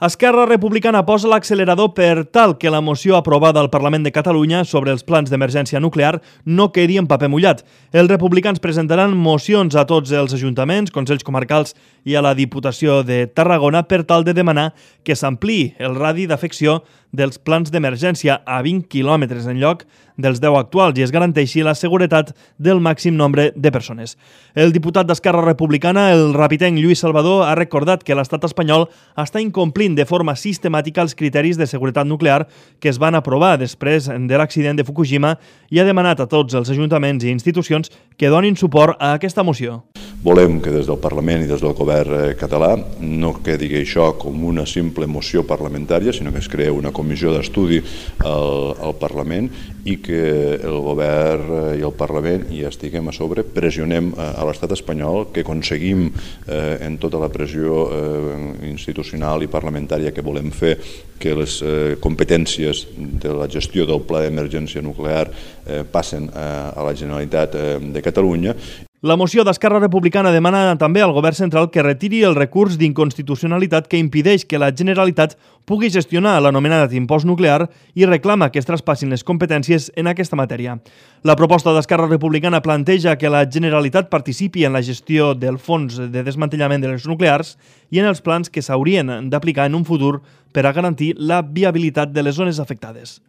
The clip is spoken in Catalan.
Esquerra Republicana posa l'accelerador per tal que la moció aprovada al Parlament de Catalunya sobre els plans d'emergència nuclear no quedi en paper mullat. Els republicans presentaran mocions a tots els ajuntaments, consells comarcals i a la Diputació de Tarragona per tal de demanar que s'ampliï el radi d'afecció dels plans d'emergència a 20 quilòmetres en lloc dels 10 actuals i es garanteixi la seguretat del màxim nombre de persones. El diputat d'Esquerra Republicana, el rapitenc Lluís Salvador, ha recordat que l'estat espanyol està incomplint de forma sistemàtica els criteris de seguretat nuclear que es van aprovar després de l'accident de Fukushima i ha demanat a tots els ajuntaments i institucions que donin suport a aquesta moció. Volem que des del Parlament i des del govern català no quedi això com una simple moció parlamentària, sinó que es crea una comissió d'estudi al Parlament i que el govern i el Parlament hi estiguem a sobre, pressionem a l'estat espanyol, que aconseguim en tota la pressió institucional i parlamentària que volem fer que les competències de la gestió del pla d'emergència nuclear passen a la Generalitat de Catalunya. La moció d'Esquerra Republicana demana també al govern central que retiri el recurs d'inconstitucionalitat que impedeix que la Generalitat pugui gestionar l'anomenat impost nuclear i reclama que es traspassin les competències en aquesta matèria. La proposta d'Esquerra Republicana planteja que la Generalitat participi en la gestió del fons de desmantellament de les nuclears i en els plans que s'haurien d'aplicar en un futur per a garantir la viabilitat de les zones afectades.